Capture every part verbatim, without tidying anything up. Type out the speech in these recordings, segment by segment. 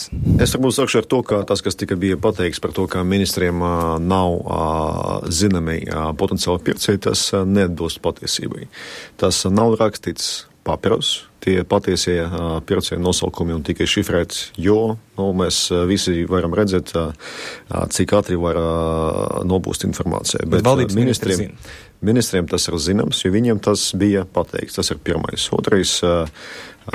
lietas. Es varbūt sākšu ar to, ka tas, kas tika bija pateikts par to, ka ministriem uh, nav uh, zināmi uh, potenciāli pircēji, tas uh, neatbilst patiesībai. Tas uh, nav rakstīts papīros, tie patiesie uh, pircēju nosaukumi un tikai šifrēts, jo nu, mēs uh, visi varam redzēt, uh, cik ātri var uh, nobūst informācija. Bet, Bet uh, ministriem, ministriem tas ir zināms, jo viņiem tas bija pateikts. Tas ir pirmais. Otrais, uh,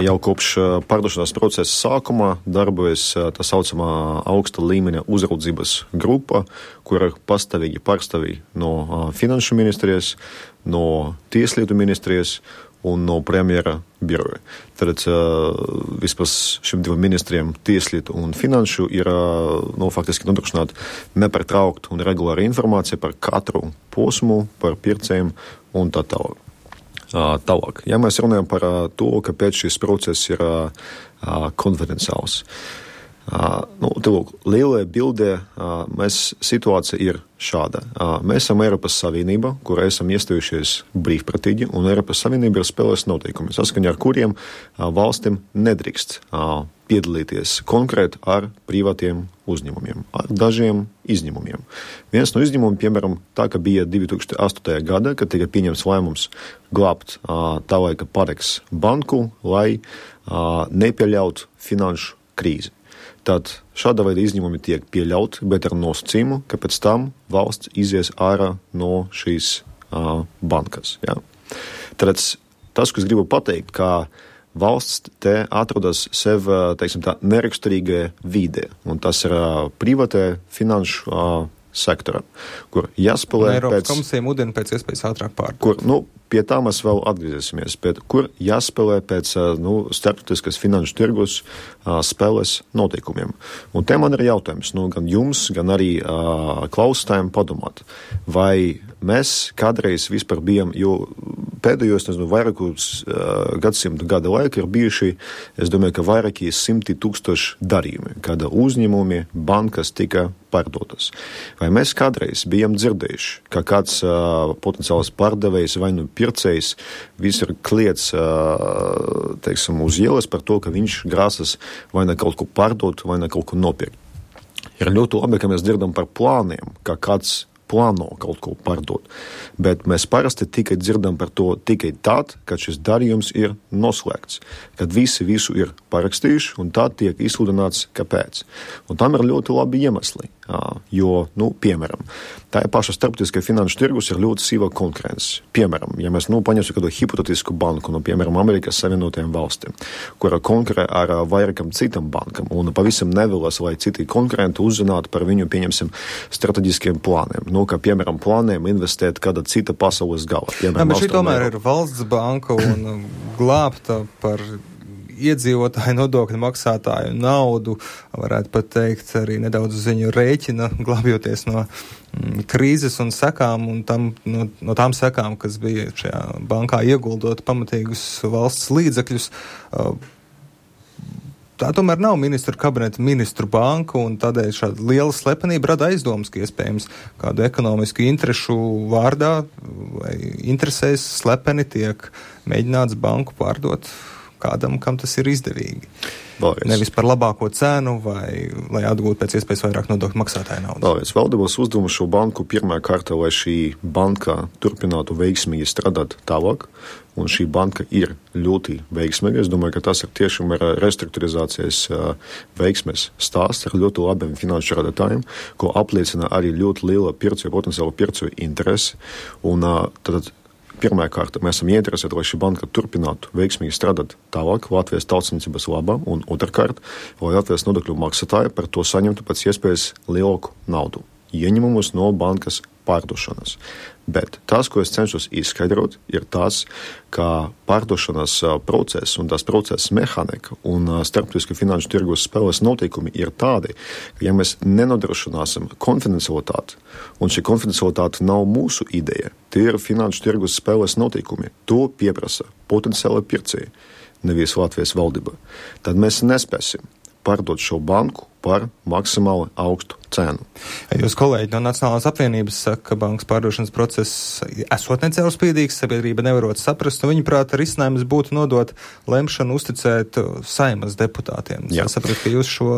jau kopš uh, pārdošanās procesa sākuma darbojas uh, tā saucamā augsta līmeņa uzraudzības grupa, kur ir pastāvīgi pārstāvji no uh, finanšu ministrijas, no tieslietu ministrijas un no premjera biroja. Tad uh, vispār šiem diviem ministriem tieslietu un finanšu ir uh, nu, faktiski nodrošināt nepārtrauktu un regulāru informāciju par katru posmu, par pircējiem un tā tālāk. Uh, tālāk. Ja mēs runājam par uh, to, kāpēc šis process ir uh, uh, konfidenciāls. Uh, nu, te lūk, lielajā bildē uh, mēs, situācija ir šāda. Uh, mēs esam Eiropas Savienība, kur esam iestājušies brīvprātīgi, un Eiropas Savienība ir spēlēs noteikumi, saskaņā ar kuriem uh, valstim nedrīkst uh, piedalīties konkrēti ar privātiem uzņēmumiem, ar dažiem izņēmumiem. Viens no izņēmumiem, piemēram, tā, ka bija divi tūkstoši astotajā gadā, kad tika pieņemts lēmums glābt uh, tā laika Pareks banku, lai uh, nepieļautu finanšu krīzi. Tad šāda veida izņēmumi tiek pieļauti, bet ar nosacījumu, ka pēc tam valsts izies ārā no šīs uh, bankas. Ja? Tad tas, ko es gribu pateikt, ka valsts te atrodas sev, teiksim tā, neraksturīgajā vidē, un tas ir uh, privātajā finanšu uh, sektora, kur jāspēlē Eiropas pēc... komisija mudina pēc iespējas ātrāk pārdot. Kur, nu, pie tā mēs vēl atgriezīsimies, bet kur jāspēlē pēc nu, starptautiskas finanšu tirgus uh, spēles noteikumiem. Un te man ir jautājums, nu, gan jums, gan arī uh, klausītājiem padomāt, vai mēs kādreiz vispār bijām, jo pēdējos, nezinu, vairākus uh, gadsimtu gada laika ir bijuši, es domāju, ka vairākie simti tūkstoši darījumi, kada uzņēmumi, bankas tika pārdotas. Vai mēs kādreiz bijām dzirdējuši, ka kāds uh, potenciāls pārdevējs vai nu pircējs viss ir kliedz, uh, teiksim, uz ielas par to, ka viņš grāsas vai ne kaut ko pārdot, vai ne kaut ko nopirkt. Ir ļoti labi, ka mēs dzirdam par plāniem, ka kāds plāno kaut ko pārdot, bet mēs parasti tikai dzirdam par to tikai tad, kad šis darījums ir noslēgts, kad visi visu ir parakstījuši un tad tiek izsludināts, kāpēc. Un tam ir ļoti labi iemesli, jo, nu, piemēram, tā ir paša starptautiskā finanšu tirgus ir ļoti sīva konkurence. Piemēram, ja mēs, nu, paņemsim kādu hipotetisku banku, nu, piemēram, Amerikas Savienotajām valstīm, kura konkurē ar vairākam citam bankam un pavisam nevēlas, lai citi konkurenti uzzinātu par viņu, pieņemsim, strateģiskiem plāniem. Nu, kā, piemēram, plāniem investēt kāda cita pasaules gala. Piemēram, Jā, bet šī tomēr ir valsts banka un glābta par iedzīvotāju nodokļu maksātāju naudu, varētu pat teikt, arī nedaudz uz viņu rēķina, glābjoties no mm, krīzes un sekām, un tam, no, no tām sekām, kas bija šajā bankā ieguldot pamatīgus valsts līdzekļus. Tā tomēr nav ministru kabineta ministru banka, un tādēļ šāda liela slepenība rada aizdomas, ka iespējams kādu ekonomisku interešu vārdā vai interesēs slepeni tiek mēģināts banku pārdot kādam, kam tas ir izdevīgi. Vēlreiz. Nevis par labāko cenu vai lai atgūtu pēc iespējas vairāk nodokļu maksātāju naudu. Vēlreiz. Valdības uzdevums šo banku pirmā kārta, lai šī banka turpinātu veiksmīgi strādāt tālāk, un šī banka ir ļoti veiksmīga. Es domāju, ka tas ir tiešām ir restruktūrizācijas veiksmes stāsts ar ļoti labiem finanšu radītājiem, ko apliecina arī ļoti liela pircēju, potenciāla pircēju interesi. Un tad pirmā kārta, mēs esam ieinteresēti, lai šī banka turpinātu veiksmīgi strādāt tālāk Latvijas tautsniecības labā, un otrkārt, lai Latvijas nodokļu maksātāji par to saņemtu pēc iespējas lielāku naudu, ieņemumus no bankas pārdošanas. Bet tas, ko es cenšos izskaidrot, ir tas, ka pārdošanas process un tās procesa mehānika un starptautisku finanšu tirgus spēles noteikumi ir tādi, ka ja mēs nenodrošināsim konfidencialitāti, un šī konfidencialitāte nav mūsu ideja, tie ir finanšu tirgus spēles noteikumi, to pieprasa potenciāli pircēji, nevis Latvijas valdība, tad mēs nespēsim pārdot šo banku par maksimāli augstu cenu. Jūs kolēģi no Nacionālās apvienības saka, ka bankas pārdošanas process esot necaurspīdīgs, sabiedrība nevarot saprast, un viņuprāt risinājums būtu nodot lemšanu uzticēt Saimas deputātiem. Jā. Es sapratu, ka jūs šo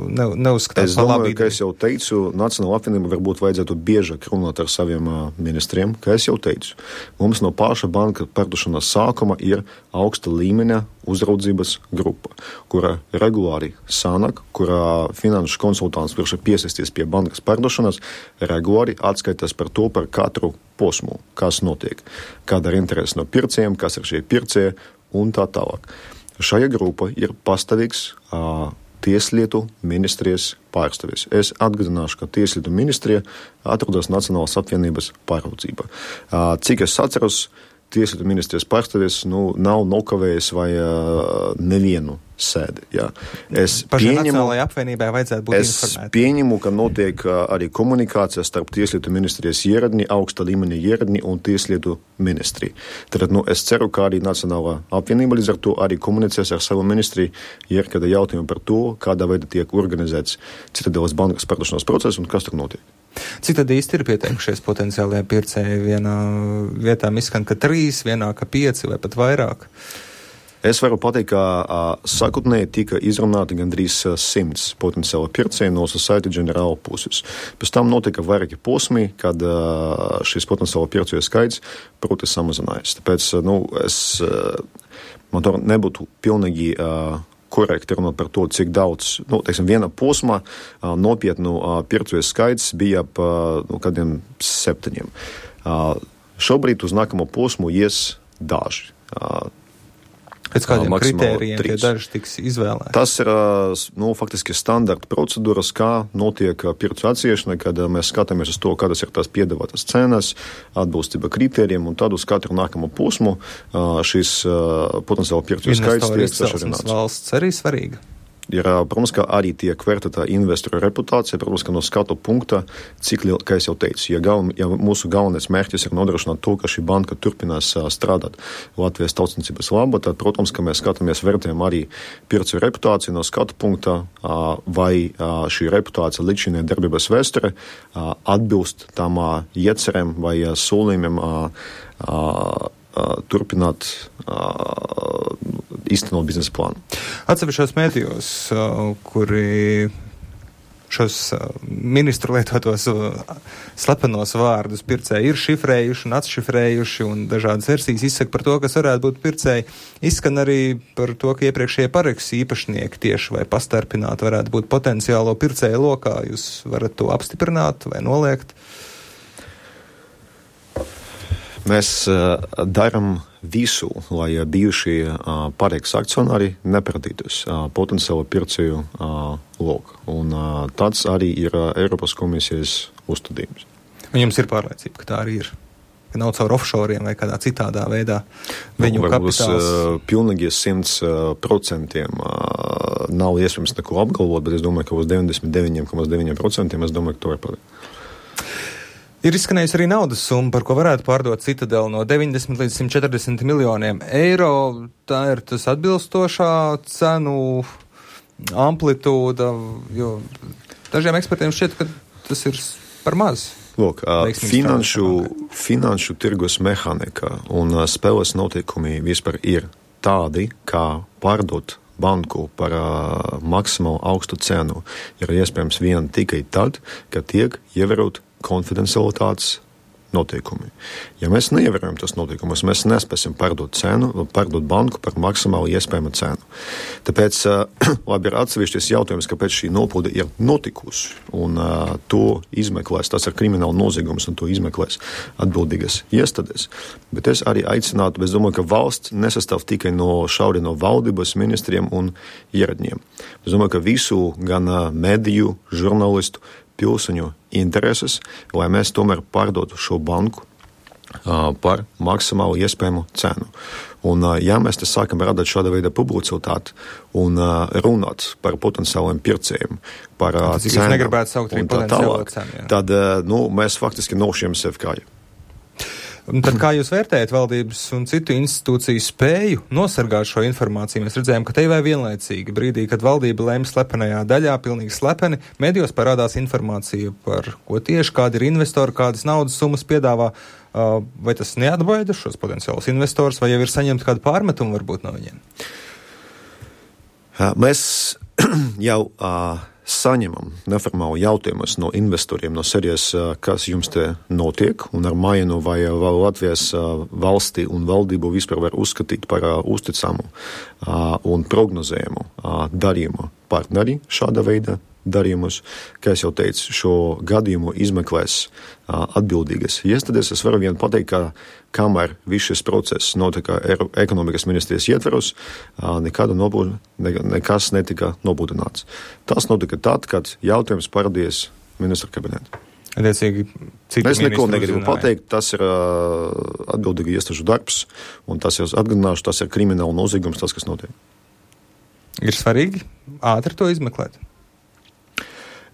ne, neuzskatāt par labu. Es domāju, ka es jau teicu, Nacionālā apvienība varbūt vajadzētu biežāk runāt ar saviem ministriem, ka es jau teicu. Mums no paša banka pārdošanas sākuma ir augsta līmeņa uzraudzības grupa, kura regulāri sanāk, kurā finanšu konsultants virš piesaisties pie bankas pārdošanas, regulāri atskaitās par to, par katru posmu, kas notiek, kāda ir interese no pircējiem, kas ir šie pircēji un tā tālāk. Šajā grupa ir pastāvīgs uh, Tieslietu ministrijas pārstāvis. Es atgādināšu, ka Tieslietu ministrija atrodas Nacionālās apvienības pāraudzībā. Uh, cik es atceros, Tieslietu ministrijas pārstāvis nu, nav nokavējis vai uh, nevienu sēdi. Jā. Es Par pieņemu, Nacionālajai apvienībai vajadzētu būt es informēti. pieņemu, ka notiek uh, arī komunikācija starp Tieslietu ministrijas ieradni, augsta līmeņa ieradni un Tieslietu ministriju. Tad nu, es ceru, ka arī Nacionālā apvienība līdz ar to arī komunicēs ar savu ministriju, ja ir kāda jautājuma par to, kādā veidā tiek organizēts Citadeles bankas pārdošanas process un kas tur notiek. Cik tad īsti ir pieteikušies potenciālajie pircēji? Vienā vietā izskan, ka trīs, vienā, ka pieci vai pat vairāk? Es varu pateikt, ka uh, sakotnēji tika izrunāti gandrīz uh, simts potenciāli pircēji no Societe Generale puses. Pēc tam notika vairāki posmi, kad uh, šis potenciāli pircēju skaits proti samazinājās. Tāpēc, uh, nu, es, uh, man to nebūtu pilnīgi uh, korekti runāt par to, cik daudz, nu, teiksim, viena posmā uh, nopietnu uh, pircēju skaits bija ap uh, nu, kādiem septiņiem. Uh, šobrīd uz nākamo posmu ies daži. Uh, Pēc kādiem uh, kritērijiem tie trīs. daži tiks izvēlēti? Tas ir, uh, nu, faktiski standarta procedūras, kā notiek uh, pircu atsiešana, kad uh, mēs skatāmies uz to, kādas ir tās piedāvātas cenas, atbilstība kritērijiem, un tad uz katru nākamo posmu uh, šis uh, potenciāli pircu skaits tiek sašarināts. Valsts arī svarīga. Ir, protams, ka arī tiek vērtēta investoru reputācija, protams, ka no skatu punkta, cik liela, kā es jau teicu, ja, galven, ja mūsu galvenais mērķis ir nodrošināt to, ka šī banka turpinās strādāt Latvijas tautsniecības labā, tad, protams, ka mēs skatāmies, vērtējam arī pircēju reputāciju no skatu punkta, vai šī reputācija līdz šī darbības vēsture atbilst tām iecerēm vai solījumiem turpināt īstenot biznesa plānu. Atsevišķos mēdījos, kuri šos ministru lietotos slepenos vārdus pircēji ir šifrējuši un atšifrējuši un dažādas versijas izsaka par to, kas varētu būt pircēji. Izskan arī par to, ka iepriekšējie paraksts īpašnieki tieši vai pastarpināti varētu būt potenciālo pircēju lokā. Jūs varat to apstiprināt vai noliegt? Mēs uh, darām visu, lai bijušie uh, pareiks akcionāri nepratītos uh, potenciāli pircēju uh, loku. Un uh, tāds arī ir uh, Eiropas komisijas uzstādījums. Un jums ir pārliecība, ka tā arī ir? Ka nav caur offshoriem vai kādā citādā veidā viņu nu, kapitāls? Uh, pilnīgi simts procentiem uh, nav iespējams neko apgalvot, bet es domāju, ka uz deviņdesmit deviņi komats deviņi procenti es domāju, ka to var pateikt. Ir izskanējusi arī naudas summa, par ko varētu pārdot Citadeli no deviņdesmit līdz simt četrdesmit miljoniem eiro. Tā ir tas atbilstošā cenu amplitūda, jo dažiem ekspertiem šķiet, ka tas ir par maz. Lūk, finanšu, finanšu tirgus mehanika un spēles notiekumi vispār ir tādi, kā pārdot banku par uh, maksimāli augstu cenu ir iespējams vien tikai tad, kad tiek ievērot konfidencialitātes noteikumi. Ja mēs neievērojam tos noteikumus, mēs nespēsim pārdot cenu, pārdot banku par maksimāli iespējamu cenu. Tāpēc, uh, labi, ir atsevišķis jautājums, kāpēc šī nopilde ir notikusi, un uh, to izmeklēs, tas ir krimināla noziegums, un to izmeklēs atbildīgas iestādes. Bet es arī aicinātu, es domāju, ka valsts nesastāv tikai no šauri no valdības, ministriem un ieradņiem. Es domāju, ka visu gan uh, mediju, žurnālistu, pilsoņu intereses, lai mēs tomēr pārdotu šo banku uh, par maksimāli iespējamu cenu. Un, uh, ja mēs te sākam radīt šāda veida publicitāti un uh, runāt par potenciāliem pircējiem, par uh, cenu, jūs negribētu saukt arī potenciālo cenu, jā. Tad uh, nu, mēs faktiski nošiem sev kāju. Un tad kā jūs vērtējat valdības un citu institūciju spēju nosargāt šo informāciju? Mēs redzējām, ka te vai vienlaicīgi brīdī, kad valdība lēma slepenajā daļā, pilnīgi slepeni, medijos parādās informācija par ko tieši, kādi ir investori, kādas naudas summas piedāvā. Vai tas neatbaida šos potenciālus investors, vai jau ir saņemta kāda pārmetuma varbūt no viņiem? Mēs jau uh, saņemam neformālu jautājumus no investoriem no serijas, uh, kas jums te notiek, un ar maienu vai vēl Latvijas uh, valstī un valdību vispār var uzskatīt par uh, uzticamu uh, un prognozējumu uh, darījumu partneri šāda veida darījumus. Kā es jau teicu, šo gadījumu izmeklēs uh, atbildīgas iestādes. Es varu vien pateikt, ka kamēr viss šis process notika ekonomikas ministrijas ietveros, uh, nekāda nobūd, ne, nekas netika nobūdināts. Tas notika tad, kad jautājums parādījās ministra kabinetā. Attiecīgi, es neko negribu pateikt, tas ir uh, atbildīgi iestāžu darbs, un tas jau atgādināšu, tas ir krimināla noziegums, tas, kas notiek. Ir svarīgi ātri to izmeklēt?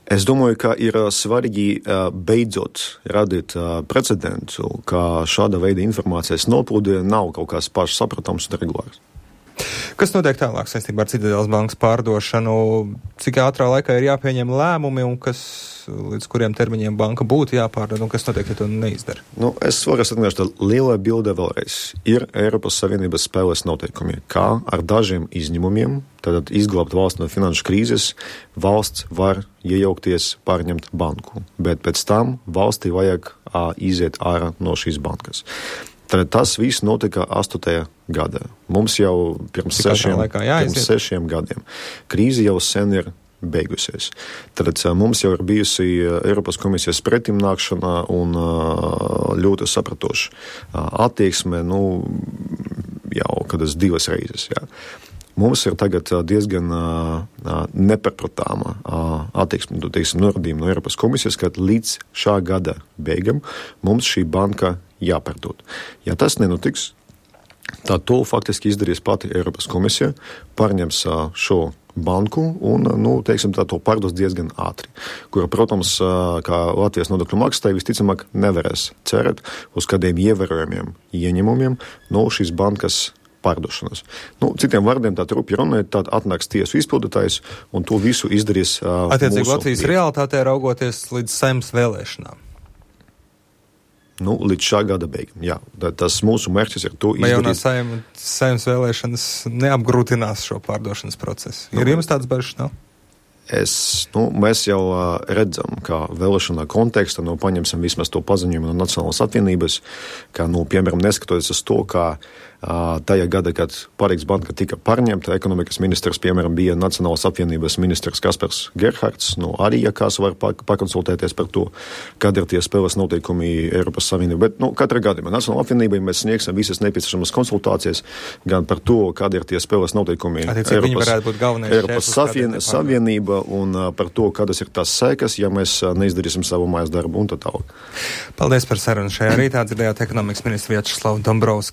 Es domāju, ka ir svarīgi beidzot radīt precedentu, ka šāda veida informācijas noplūde nav kaut kāds pašsaprotams un regulārs. Kas notiek tālāk saistībā ar Citadeles bankas pārdošanu? Cik ātrā laikā ir jāpieņem lēmumi un kas, līdz kuriem termiņiem banka būtu jāpārdod un kas notiek, ja to neizdara? Nu, es varu atgādināt, ka lielā bilde vēlreiz ir Eiropas Savienības spēles noteikumi, kā ar dažiem izņēmumiem, tad izglābt valsts no finanšu krīzes, valsts var iejaukties pārņemt banku, bet pēc tam valstī vajag ā, iziet ārā no šīs bankas. Tad tas viss notika astotajā gadā. Mums jau pirms sešiem, pirms sešiem gadiem. Krīze jau sen ir beigusies. Tad mums jau ir bijusi Eiropas komisijas pretimnākšana un ļoti sapratoša attieksme, nu, jau kādas divas reizes, jā. Mums ir tagad diezgan nepapratāma attieksme, teiksim, norādījuma no Eiropas komisijas, ka līdz šā gada beigam mums šī banka jāpārdod. Ja tas nenotiks, tad to faktiski izdarīs pati Eiropas komisija, pārņems šo banku un, nu, teiksim, tā to pārdos diezgan ātri, kura, protams, kā Latvijas nodokļu maksātāji visticamāk nevarēs cerēt uz kādiem ievērojumiem ieņemumiem no šīs bankas pārdošanas. Nu, citiem vārdiem tā trupi runājot, tad atnāks tiesu izpildītājs un to visu izdarīs uh, Attiecīgi Latvijas realitātē raugoties līdz Saeimas vēlēšanām. Nu, līdz šā gada beigām, jā. Tas mūsu mērķis ir to izdarīt. Vai jaunā Saeima, Saeimas vēlēšanas neapgrūtinās šo pārdošanas procesu? Ir nu, jums tāds bažas nav? Es, nu, mēs jau uh, redzam, ka vēlēšanā konteksta, nu, paņemsim vismaz to paziņojumu no Nacionālās apvienības, ka, nu, piemēram, neskatoties uz to, ka uh, tajā gada, kad Pārīgas banka tika pārņemta, ekonomikas ministrs, piemēram, bija Nacionālās apvienības ministrs Kaspars Gerhards, nu, arī, ja kāds var pakonsultēties par to, kad ir tie spēles noteikumi Eiropas Savienība. Bet, nu, katra gadījumā Nacionālā apvienībai mēs sniegsim visas nepieciešamas konsultācijas gan par to, kad ir tie spēles noteikumi Eiropas, Eiropas savien, Savienība un uh, par to, kādas ir tās sekas, ja mēs uh, neizdarīsim savu mājas darbu un tā tālāk. Paldies par sarunu šajā rītā. Dzirdējāt ekonomikas ministru Vjačeslavu Dombrovski.